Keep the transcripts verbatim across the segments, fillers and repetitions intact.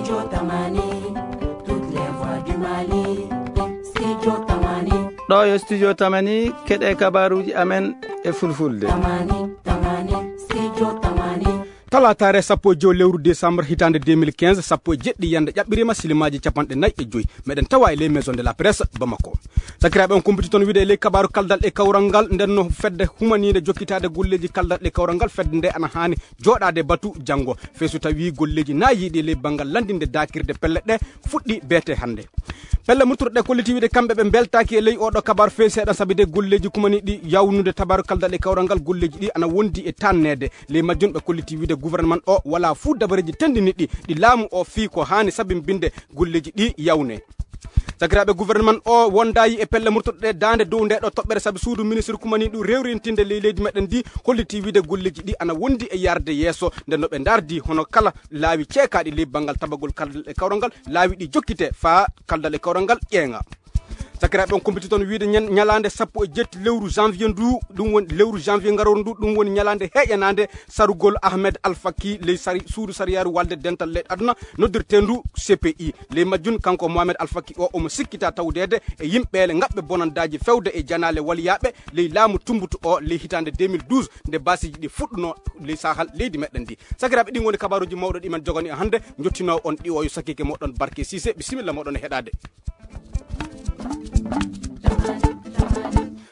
Studio Tamani, toutes les voix du Mali. Studio Tamani. Ɗo yo Studio Tamani, keɗe kabaruji amen e fulfulde. Tamani, Tamani, Studio Tamani. Talataare sappo e joy lewru décembre hitaande deux mille quinze, sappo e jeɗɗi yande ƴaɓɓirima, silimaaji capanɗe nayi e joy. Meɗen tawa e les maisons de la presse Bamako. Sakiraaɓe, on kumpiti toon wiide e ley kabaaru kaldal e kawral ngal, nden no fedde humaniinde jokkitaade golleeji kaldal e kawral ngal, fedde nde ana haani jooɗaade batu janngo. Fee so tawii golleeji na yiiɗi e ley banngal lanndinde daakirde pelle ɗe fuɗɗi beete hannde. Pelle murtuɗe ɗe kolliti wiide kamɓe ɓe mbeltaaki e ley oɗo kabaaru fee seeɗa, sabi de golleeji kumani ɗi yawnude tabaaru kaldal e kawral ngal, golleeji ɗi ana wondi e tanneede. Ley majjum ɓe kolliti wiide gouvernement o wala fuu dabareeji tenndini ɗi, ɗi laamu o fii ko haani sabimbinde golleeji ɗi yawne. Sakiraaɓe, gouvernement o wondaayi e pelle murtuɗe ɗe daande dow nde ɗo toɓɓere, sabi suudu ministre kumani ɗum rewrintinde ley leydi meɗen ndi holliti wiide golleeji ɗi ana wondi e yarde yeeso, nde no ɓe ndardi hono kala laawi ceekaaɗi ley banngal tabagol kaldal e kawral ngal, laawi ɗi jokkite faa kaldal e kawral ngal ƴeeŋa. Sakiraaɓe, on kumpiti toon wiide ñan-, ñalaande sappo e jetti lewru janvier ndu, ɗum woni lewru janvier ngarooru ndu, ɗum woni ñalaande heƴanaande sarugol Ahmed Alfaki ley sari-, suudu sariyaaru walde dental leyɗe aduna, noddirteendu C P I. Ley majjum, kanko Mohamed Alfaki o, omo sikkita tawdeede e yimɓeele ngaɓɓe bonandaaji fewde e janaale waliyaaɓe ley laamu Tumbutu o ley hitaande deux mille douze, nde baasiiji ɗi fuɗɗuno ley sahal leydi meɗen ndi. Sakiraaɓe, ɗin woni kabaaruuji mawɗo ɗi men jogani e hannde, njottinoo on ɗiwooyo sakiike moɗon Barke Siise, bisimilla moɗon e heɗaade.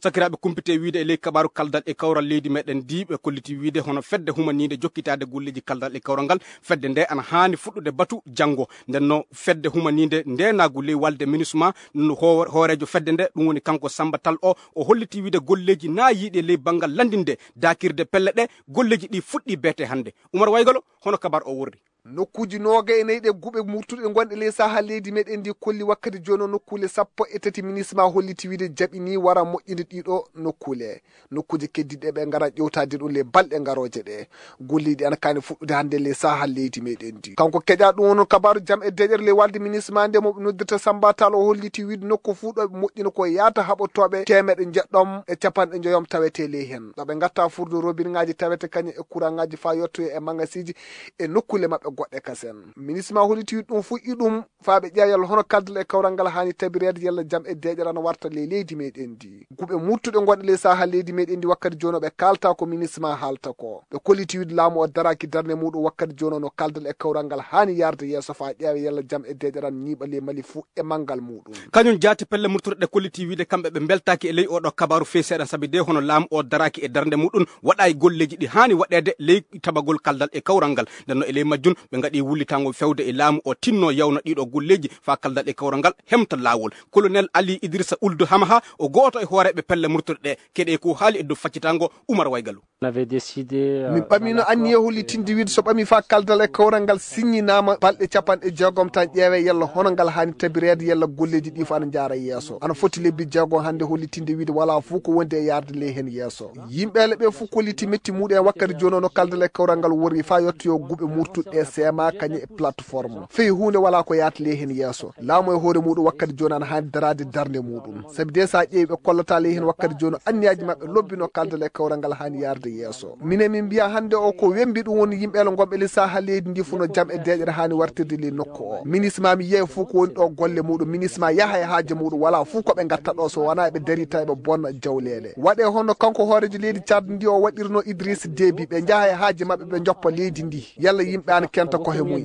Sakiraaɓe, kumpite wiide e ley kabaaru kaldal e kawral leydi meɗen ndi, ɓe kolliti wiide hono fedde humaniinde jokkitaade golleeji kaldal e kawral ngal, fedde nde ana haani fuɗɗude batu janngo. Nden no fedde humaniinde ndeenaagu ley walde MINUSMA, no hoo-, hooreejo fedde nde, ɗum woni kanko Samba Tall o, o holliti wiide golleeji na yiiɗi e ley banngal lanndinde daakirde pelle ɗe, golleeji ɗi fuɗɗi beete hannde. Umar Waygalo, hono kabaar o worri? Nokkuuji noogay e nayi ɗe guɓe murtuɗe gonɗe ley saha leydi meɗen ndi kolli wakkati jooni o nokkuule sappo e tati MINUSMA holliti wiide jaɓini wara moƴƴinde ɗiɗo nokkuule. Nokkuuje keddiɗe ɓe ngara ƴewtaade ɗum ley balɗe ngarooje ɗe. Golleeji ana kaani fuɗɗude hannde ley saha leydi meɗen ndi. Kanko keƴa ɗum woni kabaaru jam e deeƴere ley walde MINUSMA nde mo ɓe noddirta Samba Tall o holliti wiide nokku fuu ɗo ɓe moƴƴina ko yaata haɓotooɓe teemeɗe jeɗɗom e capanɗe njoyom tawete ley heen. Ɗo ɓe ngatta furdo robinŋaaji tawete kañum e kuraŋaaji faa yottoyo e maŋasiiji e nokkuule maɓɓe goɗɗe kasen. MINUSMA holliti wiide ɗum fuu iɗum faa ɓe ƴeewa yalla hono kaldal e kawral ngal haani tabireede yalla jam e deeƴere ana warta ley leydi meɗen ndi. Guɓe murtuɗe gonɗe ley saha leydi meɗen ndi wakkati jooni o ɓe kaalta ko MINUSMA haalta ko. Ɓe kolliti wiide laamu o daraaki darnde muuɗum wakkati jooni o no kaldal e kawral ngal haani yarde yeeso faa ƴeewa yalla jam e deeƴere ana ñiiɓa ley Mali fuu e manngal muuɗum. Kañum jaati pelle murtuɗe ɗe kolliti wiide kamɓe ɓe mbeltaaki e ley oɗo kabaaru fee seeɗa sabi de hono laamu o daraaki e darnde muuɗum waɗa e golleeji ɗi haani waɗeede ley tabagol kaldal e kawral ngal. Nden no e ley majjum ɓe ngaɗi wullitangol fewde e laamu o tinno yawna ɗiɗo golleeji faa kaldal e kawral ngal hemta laawol. Colonel Ali Idrissa Ould Hamaha o gooto e hooreeɓe pelle murtuɗe ɗe. Keɗe ko haali e dow faccitango Umar Waygalu. On avait décidé, euh, min ɓamino anniye hollitinde wiide so ɓami faa kaldal e kawral ngal siññinaama balɗe capanɗe jeegom tan ƴeewe yalla hono ngal haani tabireede yalla golleeji ɗi fof ana njaara yeeso. Ana foti lebbi jeegom hannde hollitinde wiide wala fof ko wondi e yaarde ley heen yeeso. Yimɓe ele ɓe fof kolliti metti muɗum e wakkati jooni o no kaldal e kawral ngal worri faa yottoyo guɓe murtuɗe seema kañum e plateforme. Fii huunde wala ko yaata ley heen yeeso. Laamu e hoore muɗum wakkati jooni ana haani daraade darnde muɗum. Sabi de so a ƴeewi ɓe kollata ley heen wakkati jooni anniyaaji maɓɓe lobbino kaldal e kawral ngal haani yaarde yeeso. Minen min mbiya hannde o ko wembi ɗum woni yimɓe ele gonɓe ley saha leydi ndi fof no jam e deeƴere haani wartirde ley nokku o. MINUSMA mi yiyay fof ko woni ɗo golle muɗum. MINUSMA yaha e haaje muɗum wala fof ko ɓe ngatta ɗo so wona ɓe dari tawi ɓe bonna jawleele. Waɗe hono kanko hooreejo leydi Tchad ndi o waɗirno Idriss Déby ɓe njaha e haaje maɓɓe ɓe njoppa leydi ndi. Yalla yimɓe ana kenta kohe mumen.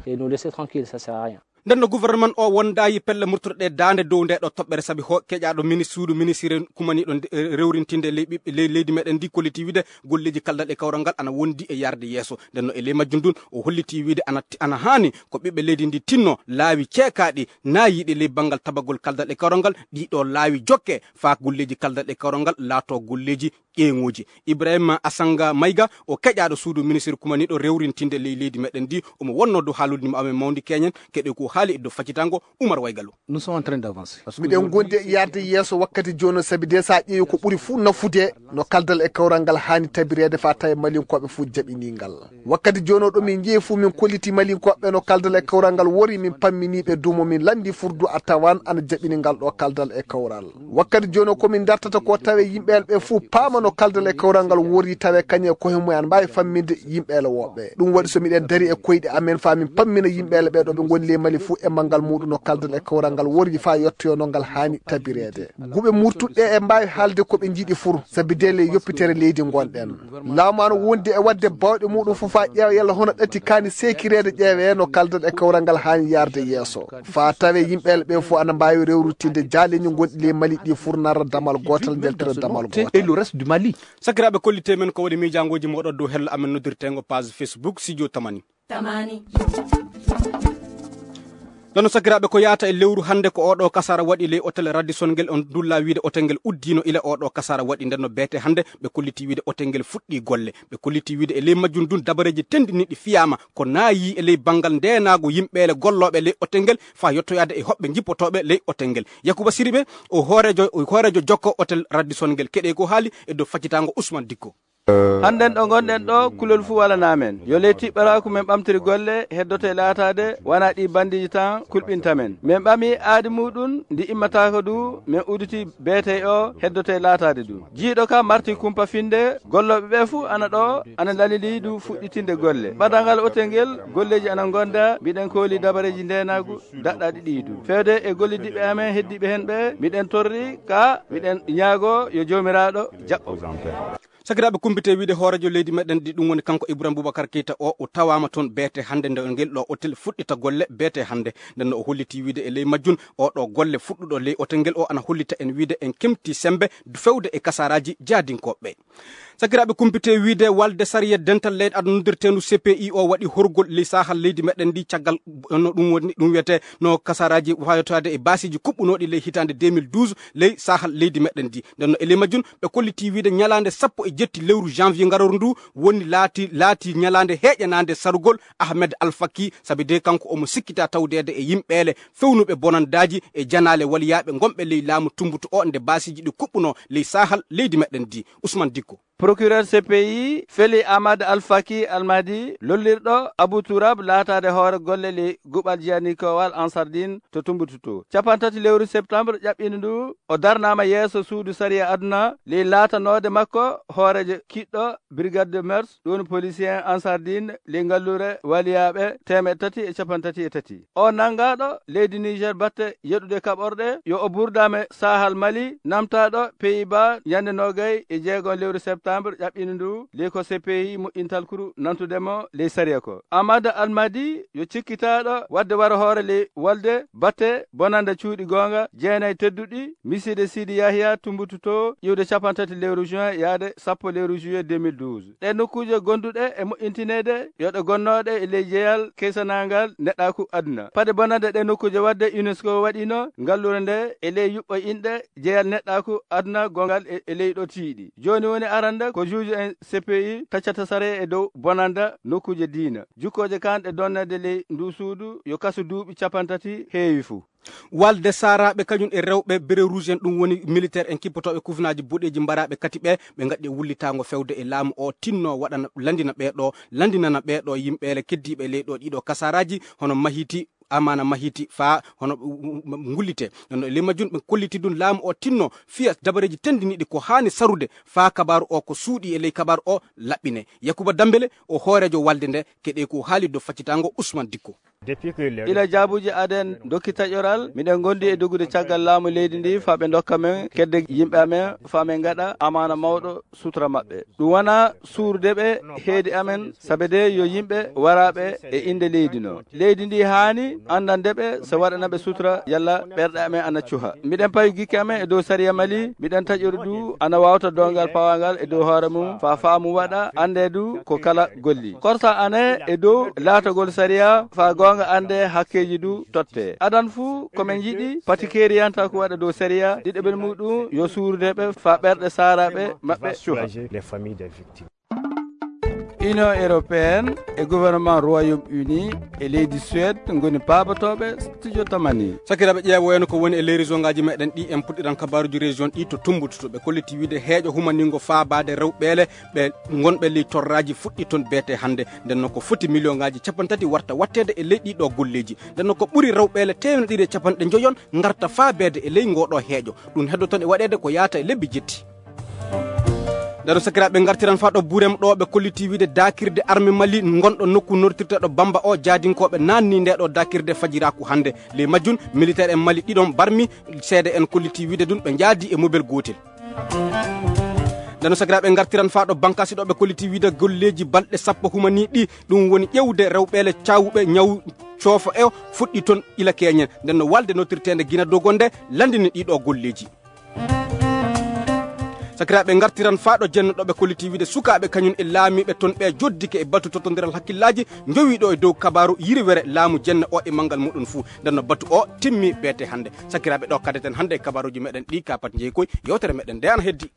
Et nous laisser tranquille, ça sert à rien. Nden no gouvernement o wondaayi pelle murtuɗe ɗe daande dow nde ɗo toɓɓere sabi ho keƴaaɗo mini suudu ministre kumaniiɗo nde, eh, rewrintinde ley ɓiɓɓe ley leydi meɗen ndi kolliti wiide golleeji kaldal e kawral ngal ana wondi e yarde yeeso. Nden no e ley majjum ndun o holliti wiide ana, ana haani ko ɓiɓɓe leydi ndi tinno laawi ceekaaɗi naayiiɗi ley banngal tabagol kaldal e kawral ngal, ɗiɗo laawi jokke faa golleeji kaldal e kawral ngal laato golleeji ƴeeŋuuji. Ibrahima Asanga Mayga, o keƴaaɗo suudu ministre kumaniiɗo rewrintinde ley leydi meɗen ndi, omo wonnoo dow haaldude mo amen mawndi keñen, keɗe ko haali e dow faccitango Umar Waygalo. Nous sommes en train d'avancer. Parce que miɗen aujourd'hui, gondi e yarde yeeso wakkati jooni, sabi de sa ƴeewi ko ɓuri fuu nafude no kaldal e kawral ngal haani tabireede fa tawe malinkooɓe fuu jaɓini ngal. Wakkati jooni o ɗo min njeyi fuu min kolliti malinkooɓe no kaldal e kawral ngal wori, min pammini ɓe dumo min lanndi furdu a tawan ana jaɓini ngal ɗo kaldal e kawral. Wakkati jooni o ko min dartata ko tawe yimɓeele ɓe fuu paama no kaldal e kawral ngal wori tawe kañe e koye mum en mbaawi famminde yimɓeele woɓɓe. Ɗum waɗi so miɗen dari e koyɗe amen fa min pammina yimɓeele ɓe ɗo ɓe ngoni ley Mali fuu e manngal muɗum no kaldal e kawral ngal wori fa yettoyo no ngal haani tabireede. Guɓe murtuɗe e mbaawi haalde ko ɓe njiɗi fur, sabi de ley yoppitere leydi ngonɗen. Laamu ana wondi e waɗde bawɗe muɗum fof haa ƴeewa yalla hono ɗatti kaani seekireede ƴeewee no kaldal e kawral ngal haani yaarde yeeso. Faa tawee yimɓeele ɓe fof ana mbaawi rewrutinde jaaleeji gonɗi ley Mali ɗi furnara damal gootal, njaltira damal gootal. Et le reste du Mali. Sakiraaɓe, kollitee men ko woni miijaangooji mooɗon dow hello amen noddirteengo page Facebook Studio Tamani. Tamani. Nano sakiraaɓe, ko yaata e lewru hannde ko oɗo kasara waɗi ley otel Radisson ngel, on dulla wiide otel ngel uddiino ila oɗo kasara waɗi. Nden no beete hannde ɓe kolliti wiide otel ngel fuɗɗi golle. Ɓe kolliti wiide e ley majjum ndun dabareeji tendiniɗi fiyaama ko naayi e ley banngal ndeenaagu yimɓeele gollooɓe ley otel ngel faa yottoyaade e hoɓɓe njippotooɓe ley otel ngel. Yakuba Siriɓe o hooreejo, o hooreejo jokko otel Radisson ngel. Keɗee ko haali e dow faccitaango Ousmane Dikko. Hannden ɗo ngonɗen ɗo, kulol fuu walanaa men. Yo ley tiɓɓaraaku men ɓamtiri golle, heddoto e laataade, wanaa ɗi bandiiji tan kulɓinta men. Men ɓami aadi muuɗum, ndi immataako du, men uditi beetey o, heddoto e laataade du. Jiiɗo ka marti kumpa finde, gollooɓe ɓe fuu ana ɗo, ana lalili du fuɗɗitinde golle. Ɓadal ngal otel ngel, golleeji ana ngonda, mbiɗen kooli dabareeji ndeenaagu, daɗɗaaɗi ɗi du. Feewde e gollidiiɓe amen heddiiɓe hen ɓe, miɗen torri ka, miɗen ñaago yo Joomiraaɗo jaɓɓo. Sakiraaɓe, kumpite wiide hooreejo leydi meɗen ndi, ɗum woni kanko Ibrahim Boubacar Keita o, o tawaama toon beete hannde nde ngel ɗo otel fuɗɗita golle beete hannde. Nden no o holliti wiide e ley majjum o ɗo golle fuɗɗuɗo ley otel ngel o ana hollita en wiide en kemti sembe feewde e kasaraaji jaadinkooɓe. Sakiraaɓe, kumpite wiide walde sariya dental leyɗe aduna noddirteendu C P I o waɗi horgol ley saahal leydi meɗen ndi caggal no ɗum woni, ɗum wiyetee no kasaraaji fayotaade e baasiiji kuɓɓunooɗi ley hitaande deux mille douze ley saahal leydi meɗen ndi. Nden no e ley majjum ɓe kolliti wiide ñalaande sappo e jetti lewru janvier ngarooru ndu woni laati, laati ñalaande heeƴanaande sarugol Ahmed Al Faki, sabi de kanko omo sikkita tawdeede e yimɓeele fewnuɓe bonandaaji e janaale waliyaaɓe ngonɓe ley laamu Tumbutu o nde baasiiji ɗi kuɓɓunoo ley saahal leydi meɗen ndi. Ousmane Dikko. Procureur C P I feli Ahmad Al Faki Al Mahdi lollirɗo Abu Turab laataade hoore golle ley guɓal jiyanikoowal Ansardin to Tumbutu to. Capantati lewru septembre ƴaɓɓiindu ndu, o darnaama yeeso suudu sariya aduna ley laatanoode makko hooreejo kiɗɗo Brigade de Mœurs, ɗum woni polisien Ansardin ley ngalluure waliyaaɓe teemeɗɗe tati e capantati e tati. O nanngaɗo leydi Niger batte yeɗude kaɓorɗe, yo o burdaame saahal Mali, namtaɗo Pays-Bas ñande noogay e jeegon lewru septembre ƴaɓɓiindu ndu, ley ko C P I moƴƴintal kuru nantude mo ley sariya ko. Amadou Almadi yo cikkitaɗo wadde wara hoore ley walde batte bonanda cuuɗi goonga jeenay tedduɗi, miside Sidi Yahya Tumbutu to iwde capantati lewru juin yaade sappo lewru juillet deux mille douze. Ɗe nokkuuje gonduɗe e moƴƴintineede yo ɗe gonnoɗe e ley jeyal keysanaangal neɗɗaaku aduna. Paɗe bonande ɗe nokkuuje wadde UNESCO waɗino ngallure nde e ley yuɓɓo inɗe jeyal neɗɗaaku aduna gongal e, e ley ɗo tiiɗi. Jooni woni arande ko juuju en C P I taccata sare e dow bonanda nokkuuje diina. Jukkooje kan ɗe donnede ley ndu suudu yo kasu duuɓi capantati heewi fuu. Walde Saaraaɓe kañum e rewɓe bérets rouges en, ɗum woni militaire en kippotooɓe kufinaaji boɗeeji mbaraaɓe kati ɓe, ɓe ngaɗi e wullitaango fewde e laamu o tinno waɗana, lanndina ɓee ɗo, lanndinana ɓee ɗo yimɓeele keddiiɓe ley ɗo ɗiɗo kasaraaji, hono Mahiti, Amaana Mahiti, faa hono, mm, mm, ngullitee. Noon e ley majjum ɓe kolliti ɗum laamu o tinno fiya dabareeji tenndiniiɗi ko haani sarude faa kabaaru o ko suuɗii e ley kabaaru o laɓɓinee. Yakuba Dambele o hooreejo walde nde, keɗee ko haali dow faccitaango Usman Dikko. Ila jaabuuji aden dokki taƴoral, miɗen ngondi e dogude caggal laamu leydi ndi faa ɓe ndokka men kedde yimɓe amen, faa men ngaɗa amaana mawɗo sutura maɓɓe. Ɗum wonaa suurde ɓe heedi amen, sabe de yo yimɓe waraaɓe e innde leydi no. Leydi ndi haani anndande ɓe so waɗana ɓe sutura yalla ɓerɗe amen ana cuha. Miɗen pawi gikke amen e dow sariya Mali, miɗen taƴori du ana waawta doongal pawangal e dow hoore mum, faa faamu waɗa annde du ko kala golli. Korsa ane e dow laatagol sariya, faa goonga annde hakkeeji du totte. Adan fuu ko men yiɗi, pati keeriyantaa ko waɗa dow sariya, ɗiɗaɓel muɗum yo suurude ɓe faa ɓerɗe saaraaɓe maɓɓe cuha. Union européenne e gouvernement Royaume-Uni e leydi Suède ngoni paabotooɓe studio Tamani. Sakiraaɓe, ƴeewoyen ko woni e leydi zongaaji meɗen ɗi, en puɗɗiran kabaaruji région ɗi to Tumbuktu. Ɓe kolliti wiide heeƴo humaningo faabaade rewɓeele ɓe ngonɓe ley torraaji fuɗɗi toon beete hannde. Nden no ko foti miliyonaaji cappanɗe tati warta watteede e ley ɗiɗo golleeji. Nden no ko ɓuri rewɓeele teemedde ɗiɗi e cappanɗe njoyon ngarta faabeede e ley ngooɗo heeƴo. Ɗum heddo toon e waɗeede ko yaata e lebbi jetti. Ndeno sakiraaɓe ngartiran faa ɗo Burem ɗo ɓe kolliti wiide daakirde arme Mali ngonɗo nokku nortirteeɗo Bamba o jaadinkooɓe naanni nde ɗo daakirde fajiraaku hannde. Ley majjum militaire en Mali ɗiɗon barmi seede en kolliti wiide ɗum ɓe njaadi e mobel gootel. Ndeno sakiraaɓe ngartiran faa ɗo bankaasi ɗo ɓe kolliti wiide golleeji balɗe sappo humanii ɗi ɗum woni ƴewde rewɓeele caawuɓe ñaw coofo e fuɗɗi toon ila keñen. Nden no walde nortirteende Gina Dogo nde landini ɗiɗo golleeji. Sakiraaɓe ngartiran faa ɗo jenno ɗo ɓe kolliti wiide sukaaɓe kañum e laamiiɓe toon ɓe joddike e batu tottondiral hakkillaaji njowi ɗo e dow kabaaru yiriwere laamu jenno o e manngal muɗum fuu. Nden no batu o timmi beete hannde. Sakiraaɓe ɗo kadeten hannde e kabaaruji meɗen ɗi kapat jeyi koy yewtere meɗen nde ana heddi.